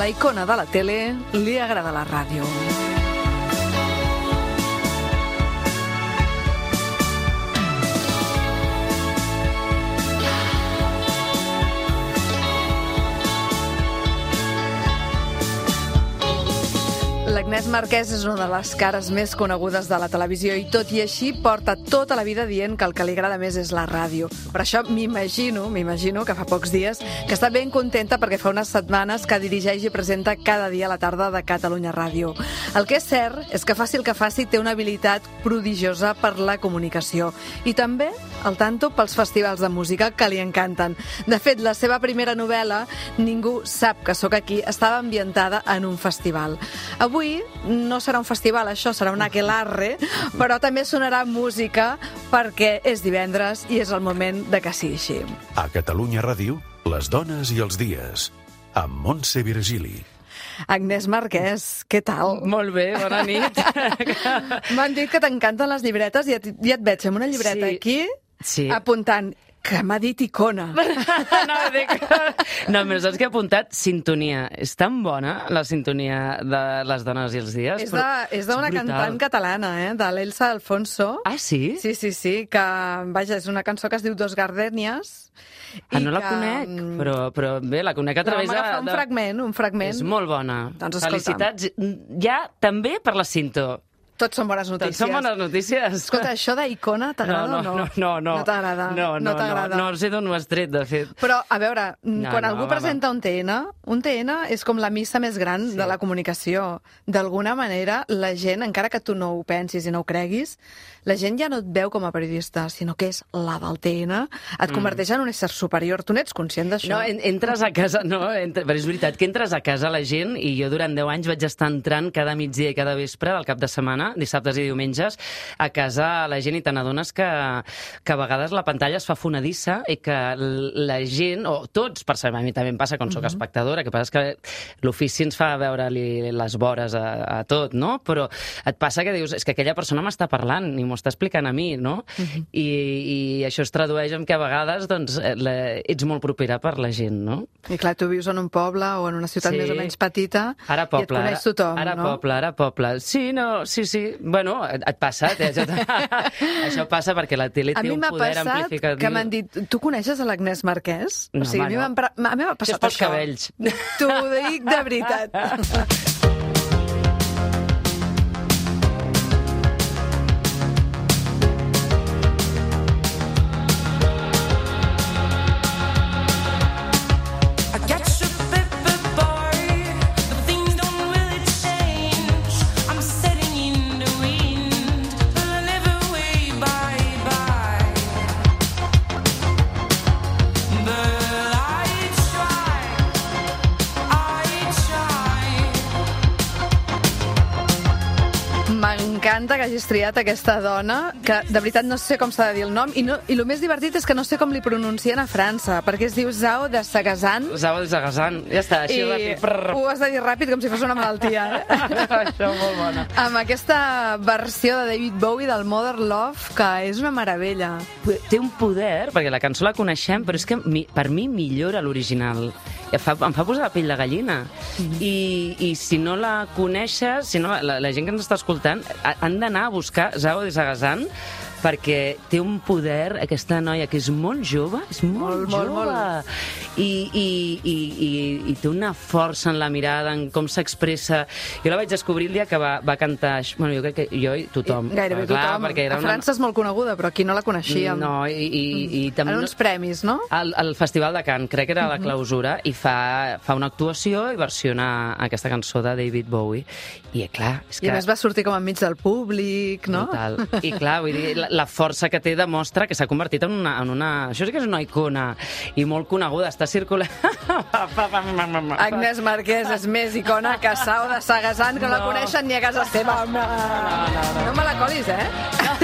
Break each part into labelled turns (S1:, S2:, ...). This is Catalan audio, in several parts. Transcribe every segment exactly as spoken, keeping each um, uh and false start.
S1: la icona de la tele li agrada la ràdio. L'Agnès Marquès és una de les cares més conegudes de la televisió i tot i així porta tota la vida dient que el que li agrada més és la ràdio. Per això m'imagino, m'imagino que fa pocs dies que està ben contenta perquè fa unes setmanes que dirigeix i presenta cada dia a la tarda de Catalunya Ràdio. El que és cert és que faci el que faci té una habilitat prodigiosa per la comunicació i també al tanto pels festivals de música que li encanten. De fet, la seva primera novel·la, Ningú sap que sóc aquí, estava ambientada en un festival. Avui no serà un festival, això serà un aquelarre, però també sonarà música perquè és divendres i és el moment de que sigui així.
S2: A Catalunya Ràdio, les dones i els dies, amb Montse Virgili.
S1: Agnès Marquès, què tal?
S3: Molt bé, bona nit.
S1: M'han dit que t'encanten les llibretes i et, i et veig amb una llibreta
S3: sí.
S1: aquí
S3: sí.
S1: apuntant que m'ha dit icona.
S3: no, dic... no, però saps que he apuntat sintonia. És tan bona la sintonia de les dones i els dies.
S1: És d'una cantant catalana, eh? de l'Elsa Alfonso.
S3: Ah, sí?
S1: Sí, sí, sí, que vaja, és una cançó que es diu Dos Gardènies.
S3: Ah, no la que... conec, però, però bé, la conec a través de...
S1: No, m'agafa un fragment, un fragment.
S3: És molt bona.
S1: Doncs
S3: felicitats, ja també per la cinto.
S1: Tots són bones notícies.
S3: Tots són bones notícies.
S1: Escolta, això d'icona t'agrada
S3: no, no,
S1: o no?
S3: No, no, no.
S1: No t'agrada?
S3: No, no, no, no, no sé d'on ho has tret, de fet.
S1: Però, a veure,
S3: no,
S1: quan
S3: no,
S1: algú
S3: va,
S1: presenta
S3: va.
S1: un T N, un T N és com la missa més gran sí. de la comunicació. D'alguna manera, la gent, encara que tu no ho pensis i no ho creguis, la gent ja no et veu com a periodista, sinó que és la del T N, et converteix mm. en un ésser superior. Tu n'ets conscient d'això?
S3: No, entres a casa, no, entre, però és veritat que entres a casa la gent, i jo durant deu anys vaig estar entrant cada migdia i cada vespre del cap de setmana, dissabtes i diumenges, a casa la gent, i te n'adones que, que a vegades la pantalla es fa fonedissa i que la gent, o tots, per saber, a mi també em passa quan soc uh-huh. espectadora, que passa que l'ofici ens fa veure-li les vores a, a tot, no? Però et passa que dius, és que aquella persona m'està parlant i m'ho està explicant a mi, no? Uh-huh. I, I això es tradueix en que a vegades doncs, la, ets molt propera per la gent, no?
S1: I clar, tu vius en un poble o en una ciutat sí. més o menys petita
S3: ara poble,
S1: i et coneix tothom,
S3: ara, ara
S1: no?
S3: poble, ara poble. Sí, no, sí, sí. Bueno, et, et passa, eh? això, això passa perquè la tele té un poder amplificatiu.
S1: A mi m'ha passat que m'han dit, tu coneixes a l'Agnès Marquès?
S3: No,
S1: o sigui,
S3: home,
S1: a mi
S3: no.
S1: m'ha passat
S3: és pels
S1: això.
S3: cabells.
S1: T'ho dic de veritat. M'encanta que hagis triat aquesta dona, que de veritat no sé com s'ha de dir el nom, i, no, i el més divertit és que no sé com li pronuncien a França, perquè es diu Zao de Sagazan.
S3: Zao de Sagazan, ja està, així
S1: I
S3: ràpid.
S1: Ho has de dir ràpid com si fos una malaltia, eh?
S3: Això, molt bona.
S1: Amb aquesta versió de David Bowie del Mother Love, que és una meravella.
S3: Té un poder, perquè la cançó la coneixem, però és que mi, per mi millora l'original. Em fa, em fa posar la pell de gallina. Mm-hmm. I, I si no la coneixes, si no, la, la gent que ens està escoltant, han d'anar a buscar Zao de Sagazan, perquè té un poder, aquesta noia, que és molt jove, és molt, molt jove, molt, molt. I, i, i, i, i té una força en la mirada, en com s'expressa. Jo la vaig descobrir el dia que va, va cantar... Bueno, jo crec que jo i tothom.
S1: I gairebé
S3: clar,
S1: tothom.
S3: Perquè era
S1: a França una... és molt coneguda, però aquí no la coneixíem.
S3: No, i, i, i també...
S1: En uns premis, no?
S3: Al, al Festival de Cannes, crec que era la clausura, i fa, fa una actuació i versiona aquesta cançó de David Bowie. I, clar, és que...
S1: I a més va sortir com enmig del públic, no?
S3: Total. I, clar, vull dir, la, la força que té demostra que s'ha convertit en una, en una... Això sí que és una icona i molt coneguda. Està circulant...
S1: Agnès Marquès és més icona que Zao de Sagazan, que no la coneixen ni a casa seva. No, no, no, no. No me la colis, eh?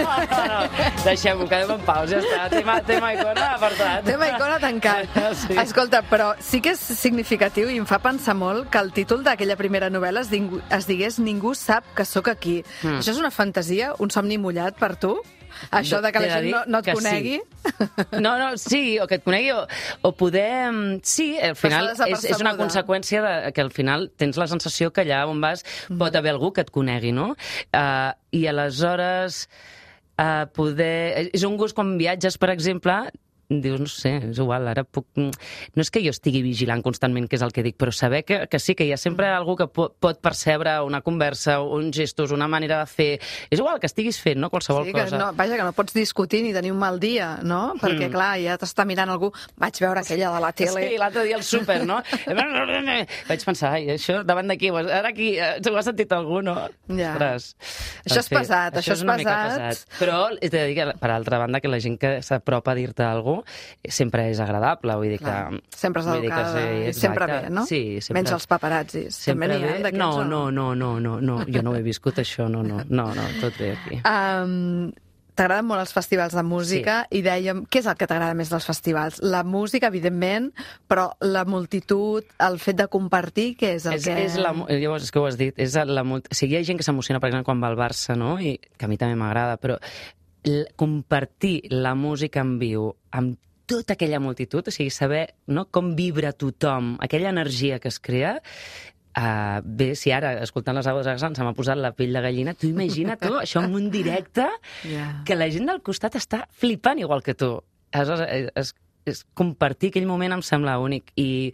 S3: No, no, no. Deixem-ho, quedem en pau, ja està. Tema, tema icona apartat.
S1: Tema icona tancat.
S3: Sí.
S1: Escolta, però sí que és significatiu i em fa pensar molt que el títol d'aquella primera novel·la es, es digués és Ningú sap que sóc aquí. Mm. Això és una fantasia, un somni mullat per tu? Això de que la gent no, no et conegui?
S3: Sí. No, no, sí, o que et conegui, o, o poder... Sí, al final és, és una conseqüència de, que al final tens la sensació que allà on vas mm. pot haver algú que et conegui, no? Uh, I aleshores uh, poder... És un gust quan viatges, per exemple... dius, no sé, és igual, ara puc... No és que jo estigui vigilant constantment què és el que dic, però saber que, que sí, que hi ha sempre algú que pot, pot percebre una conversa, uns gestos, una manera de fer... És igual que estiguis fent, no?, qualsevol
S1: sí, que
S3: cosa.
S1: No, vaja, que no pots discutir ni tenir un mal dia, no? Perquè, mm. clar, ja t'està mirant algú... Vaig veure aquella de la tele...
S3: Sí, l'altre dia al súper, no? Vaig pensar, ai, això, davant d'aquí, ara aquí, ho ha sentit algú, no?
S1: Ja. Ostres, això és pesat, això, això és, és pesat. pesat.
S3: Però he de dir que, per altra banda, que la gent que s'apropa a dir-te alguna cosa sempre és agradable, vull dir que...
S1: Clar, sempre és educada,
S3: sí,
S1: sempre bé, no?
S3: Sí, sempre...
S1: Menys els paparazzis, també n'hi ha d'aquests.
S3: No, no, no, no, no, no, jo no ho he viscut això, no, no, no, no, tot bé aquí.
S1: Um, T'agraden molt els festivals de música sí. I dèiem, què és el que t'agrada més dels festivals? La música, evidentment, però la multitud, el fet de compartir, què és el
S3: és,
S1: que...
S3: És la, llavors, és que ho has dit, és la, o sigui, hi ha gent que s'emociona, per exemple, quan va al Barça, no? I que a mi també m'agrada, però l, compartir la música en viu amb tota aquella multitud, o sigui, saber no, com vibra tothom, aquella energia que es crea, uh, bé, si ara, escoltant les aules de Gassan, se m'ha posat la pell de gallina, tu imagina tu, això en un directe, yeah. que la gent del costat està flipant igual que tu. Aleshores, es, és compartir aquell moment em sembla únic i,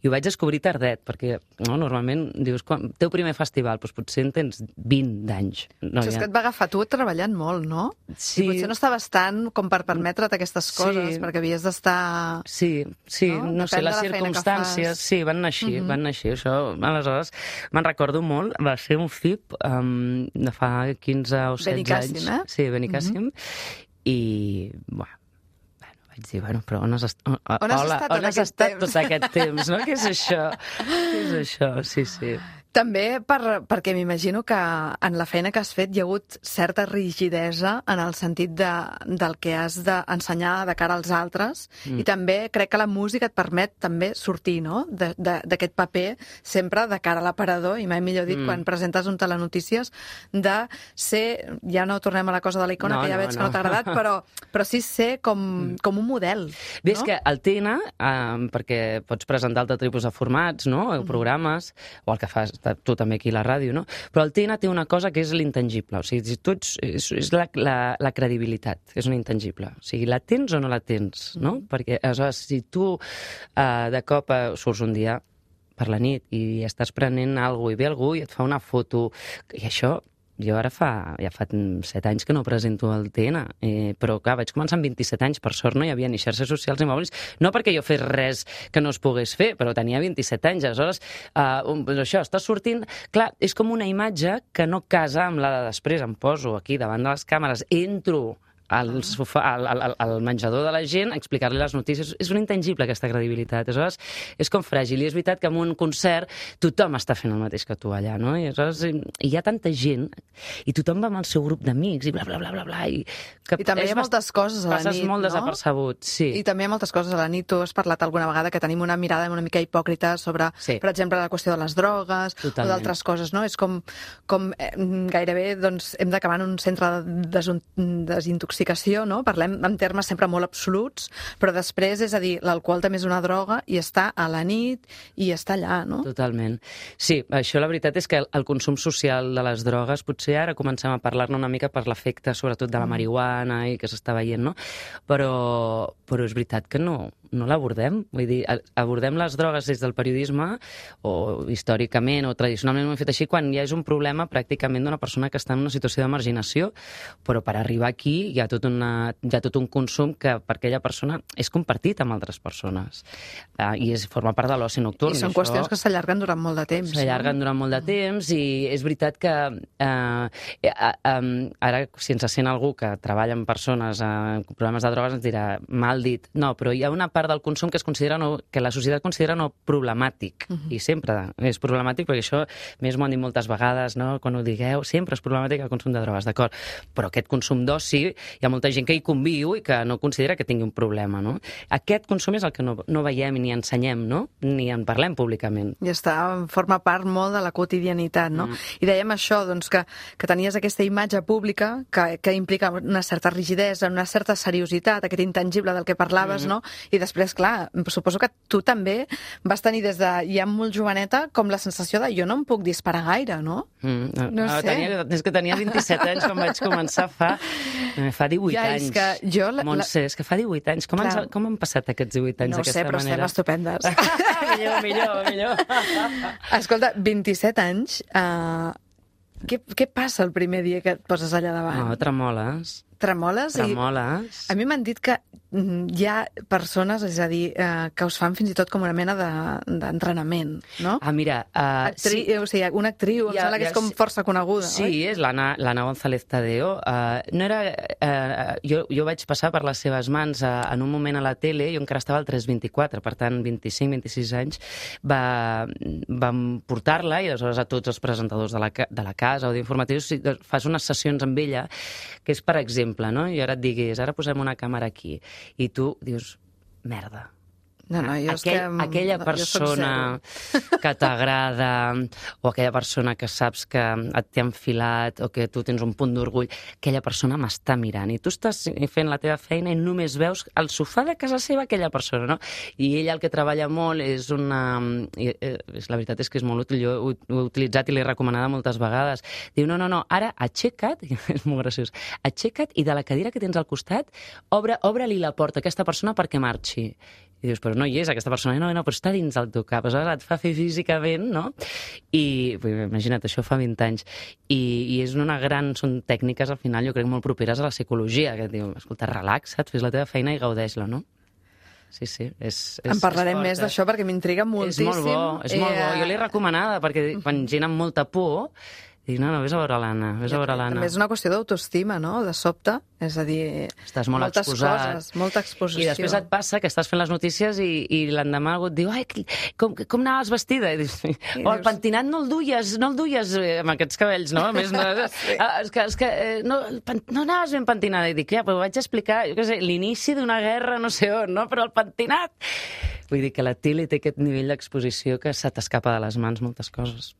S3: i ho vaig descobrir tardet, perquè no, normalment dius, quan teu primer festival, doncs potser en tens vint d'anys. No,
S1: sí, és
S3: ja...
S1: que et va agafar tu treballant molt, no?
S3: Sí.
S1: I potser no estaves tant com per permetre't aquestes coses, sí. perquè havies d'estar...
S3: Sí, sí, no, no sé, les circumstàncies, sí, van anar així,
S1: uh-huh.
S3: van anar així, això, aleshores, me'n recordo molt, va ser un F I P um, de fa quinze o setze anys.
S1: Benicàssim, eh?
S3: Sí, Benicàssim, uh-huh. i, bueno, vaig dir, bueno, però on has, est on,
S1: on has
S3: hola,
S1: estat,
S3: on has estat tot aquest temps, no? Què és això? Què és això? Sí, sí.
S1: També per, perquè m'imagino que en la feina que has fet hi ha hagut certa rigidesa en el sentit de, del que has d'ensenyar de cara als altres mm. i també crec que la música et permet també sortir, no?, d'aquest paper sempre de cara a l'aparador i mai millor dit mm. quan presentes un telenotícies de ser, ja no tornem a la cosa de la icona, no, que ja no, veig no. que no t'ha agradat, però, però sí ser com, mm. com un model.
S3: Bé,
S1: no?
S3: És que el T N, eh, perquè pots presentar altre tipus de formats, no?, mm. programes, o el que fas tu també aquí a la ràdio, no? Però el T N té una cosa que és l'intangible, o sigui, si tu ets, és, és la, la, la credibilitat, és un intangible. O sigui, la tens o no la tens, no? Mm. Perquè, aleshores, si tu eh, de cop eh, surts un dia per la nit i estàs prenent alguna cosa i ve algú i et fa una foto, i això... Jo ara fa, ja fa set anys que no presento el T N, eh, però clar, vaig començar amb vint-i-set anys, per sort no hi havia ni xarxes socials ni mòbils, no perquè jo fes res que no es pogués fer, però tenia vint-i-set anys, aleshores, eh, això, està sortint... Clar, és com una imatge que no casa amb la de després, em poso aquí davant de les càmeres, entro al, sofà, al, al, al menjador de la gent, explicar-li les notícies. És un intangible, aquesta credibilitat. Aleshores, és com fràgil. I és veritat que en un concert tothom està fent el mateix que tu allà, no? I aleshores hi ha tanta gent i tothom va amb el seu grup d'amics i bla, bla, bla, bla, bla. I,
S1: que I també hi ha moltes coses a la nit,
S3: passes molt
S1: no?
S3: desapercebut, sí.
S1: I també hi ha moltes coses a la nit. Tu has parlat alguna vegada que tenim una mirada una mica hipòcrita sobre, sí. per exemple, la qüestió de les drogues Totalment. O d'altres coses, no? És com, com eh, gairebé doncs, hem d'acabar en un centre de desintoxicació, no? Parlem en termes sempre molt absoluts, però després, és a dir, l'alcohol també és una droga i està a la nit i està allà, no?
S3: Totalment. Sí, això la veritat és que el consum social de les drogues, potser ara comencem a parlar-ne una mica per l'efecte, sobretot de la marihuana i que s'està veient, no? Però, però és veritat que no, no l'abordem. Vull dir, abordem les drogues des del periodisme, o històricament o tradicionalment ho hem fet així, quan ja és un problema pràcticament d'una persona que està en una situació de marginació, però per arribar aquí hi ha tot, una, hi ha tot un consum que per aquella persona és compartit amb altres persones. Uh, I és, forma part de l'oci nocturn.
S1: I són
S3: això,
S1: qüestions que s'allarguen durant molt de temps.
S3: S'allarguen no? durant molt de temps i és veritat que uh, uh, um, ara, si ens sent algú que treballa amb persones amb uh, problemes de drogues, ens dirà, mal dit. No, però hi ha una part del consum que es considera no, que la societat considera no problemàtic. Uh-huh. I sempre és problemàtic, perquè això, més m'ho han dit moltes vegades, no? Quan ho digueu, sempre és problemàtic el consum de drogues, d'acord? Però aquest consum d'oci, hi ha molta gent que hi conviu i que no considera que tingui un problema, no? Aquest consum és el que no, no veiem ni ensenyem, no? Ni en parlem públicament.
S1: I està, forma part molt de la quotidianitat, no? Mm. I dèiem això, doncs, que, que tenies aquesta imatge pública que, que implica una certa rigidesa, una certa seriositat, aquest intangible del que parlaves, mm. no? I després, clar, suposo que tu també vas tenir des de ja molt joveneta com la sensació de jo no em puc disparar gaire, no?
S3: Mm.
S1: No
S3: ah,
S1: sé.
S3: Tenia, és que tenia vint-i-set anys quan vaig començar fa, fa divuit
S1: ja,
S3: anys.
S1: És que jo... La,
S3: Montse, és que fa divuit anys. Com, ens, com han passat aquests divuit anys
S1: no
S3: d'aquesta
S1: sé, però
S3: manera?
S1: estem estupendes.
S3: millor, millor, millor.
S1: Escolta, vint-i-set anys... Uh, què, què passa el primer dia que et poses allà davant?
S3: No, tremoles.
S1: Tremoles?
S3: Tremoles.
S1: I a mi m'han dit que hi ha persones, és a dir, eh, que us fan fins i tot com una mena d'entrenament, de, no?
S3: Ah, mira... Uh,
S1: Actri
S3: sí.
S1: O sigui, una actriu, em
S3: Ja,
S1: sembla que
S3: ja,
S1: és com força coneguda,
S3: sí,
S1: oi?
S3: Sí, és l'Anna González Tadeo. Uh, no era, uh, jo, jo vaig passar per les seves mans uh, en un moment a la tele, jo encara estava al tres vint-i-quatre, per tant, vint-i-cinc vint-i-sis anys, va, vam portar-la i aleshores a tots els presentadors de la, de la casa o d'informatius fas unes sessions amb ella, que és, per exemple, no? I ara et diguis, ara posem una càmera aquí, i tu dius, merda.
S1: No, no, jo
S3: Aquell,
S1: és que...
S3: aquella persona que t'agrada o aquella persona que saps que et té enfilat o que tu tens un punt d'orgull, aquella persona m'està mirant i tu estàs fent la teva feina i només veus al sofà de casa seva aquella persona, no? I ella el que treballa molt és una... I, eh, la veritat és que és molt útil, jo ho, ho he utilitzat i l'he recomanada moltes vegades. Diu, no, no, no, ara aixeca't, és molt graciós, aixeca't i de la cadira que tens al costat, obre, obre-li la porta a aquesta persona perquè marxi. I dius, però no hi és aquesta persona, no, no, però està dins del teu cap, aleshores et fa fer físicament, no? I, imagina't, això fa vint anys. I, i és una gran, són tècniques, al final, jo crec, molt properes a la psicologia, que et diu, escolta, relaxa't, fes la teva feina i gaudeix-la, no? Sí, sí, és, és
S1: En parlarem
S3: és
S1: més d'això perquè m'intriga moltíssim.
S3: És molt bo, és molt bo. Jo l'he recomanada perquè quan gent amb molta por dic, no, no, vés a veure l'Anna, vés a veure l'Anna.
S1: També és una qüestió d'autoestima, no?, de sobte. És a dir,
S3: estàs molt
S1: moltes
S3: exposat.
S1: coses, molta exposició.
S3: I després et passa que estàs fent les notícies i, i l'endemà algú et diu, ai, com, com anaves vestida? I dius, oh, el pentinat no el duies, no el duies amb aquests cabells, no? A més, no, sí. és que, és que no, no anaves ben pentinada. I dic, ja, però vaig explicar, jo què sé, l'inici d'una guerra, no sé on, no? Però el pentinat... Vull dir que la tele té aquest nivell d'exposició que se t'escapa de les mans moltes coses.